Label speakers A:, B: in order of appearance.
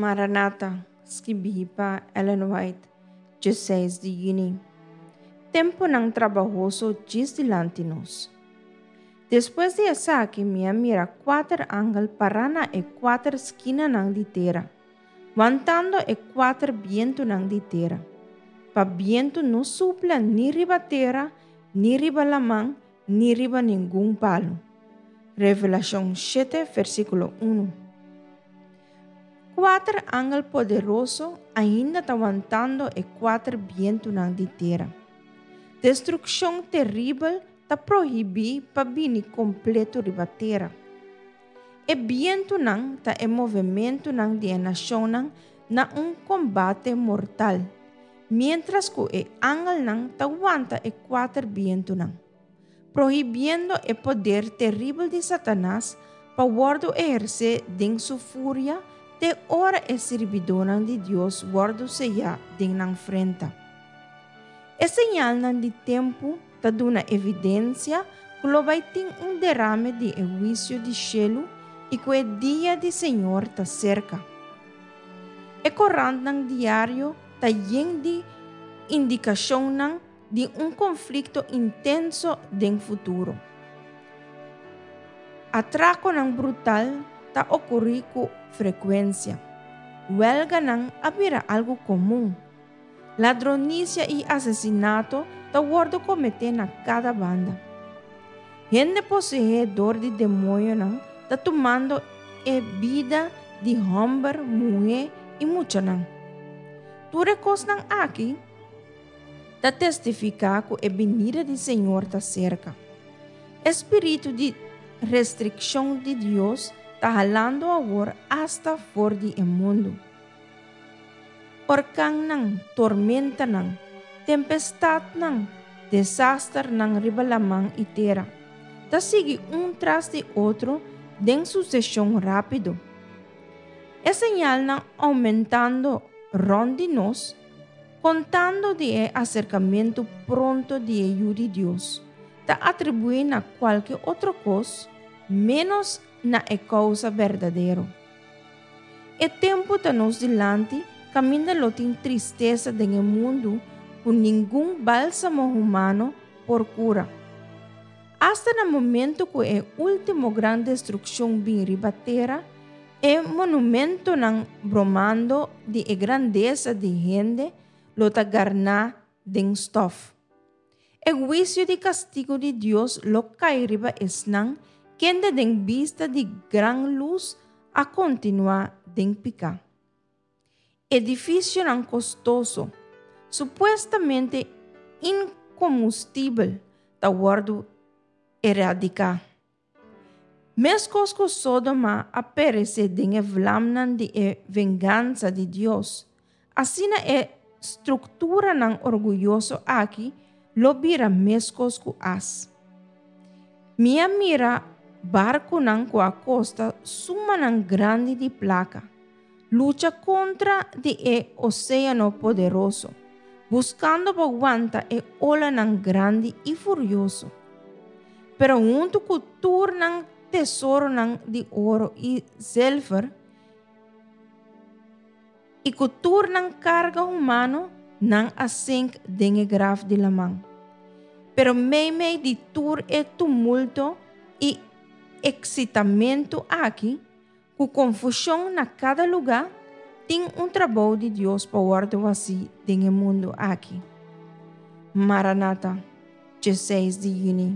A: Maranata, skibí pa Ellen White, 16 di yüni. Tempunan trabahoso djis dilanti nos. Despues di esaki mi a mira kuater angel pará na e kuater skinanan di tera, wantando e kuater bientunan di tera, pa bientu no supla ni riba tera, ni riba laman, ni riba ningun palu. Revelashon shete versíkulo unu. Kuater angel poderoso ainda ta wantando e kuater bientunan di tera. Destrukshon teribel ta prohibí pa bini kompleto riba tera. E bientunan ta e movementunan di e nashonnan na un kombate mortal, miéntras ku e angelnan ta wanta e kuater bientunan. Prohibiendo e poder teribel di Satanas pa wòrdu ehersé den su furia te ora e sirbidónan di Dios wòrdu seyá den nan frenta. E señalnan di tempu ta duna evidensia ku lo bai tin un derame di e huisio di shelu i ku e dia di Señor ta serka. E korantnan diario ta yen di indikashonnan di un konflikto intenso den futuro. Atrakonan brutal ta okurí ku frekuensia. Wèlganan a bira algu komun. Ladronisia i asesinato ta wòrdu kometé na kada banda. Hende poseé dor di demoñonan ta tumando e bida di hòmber, muhé i muchanan. Tur e kosnan aki ta testifiká ku e binida di Señor ta serka. E spiritu di restrikshon di Dios ta halando awor asta for di e mundu. Orkannan, tormentanan, tempestatnan, desasternan riba laman i tera, ta sigui un tras di otro den suseshon rápido. E señalnan oumentando rònt di nos Kontando di e aserkamentu pronto di e Yu di Dios, ta atribuí na kualke otro kos ménos na e kousa berdadero. E tempu ta nos dilanti kaminda lo tin tristesa den e mundu ku ningun bálsamo humano por kura. Asta na momentu ku e último gran destrukshon bin riba tera, E monumentonan bromando di e grandesa di hende lo ta garná den stòf. E huisio di kastigu di Dios lo kai riba esnan kende den bista di gran lus a kontinuá den piká. Edifisionan kostoso, supuestamente inkomustibel, ta wòrdu eradiká. Meskos ku Sodoma a peresé den e vlamnan di e vengansa di Dios, asina e strukturanan orguyoso aki lo bira meskos ku as. Mi a mira barkunan ku a kosta sumanan grandi di plaka, lucha kontra di e oséano poderoso, buskando pa wanta e olanan grandi i furioso. Pero huntu ku tur nan tesoronan di oro i zilver, i ku tur nan karga humano, nan a sink den e graf di laman. Pero meimei di tur e tumulto i eksitamentu aki, ku konfushon na kada lugá, tin un trabou di Dios pa wòrdu hasí den e mundu aki. Maranata, 16 di yüni.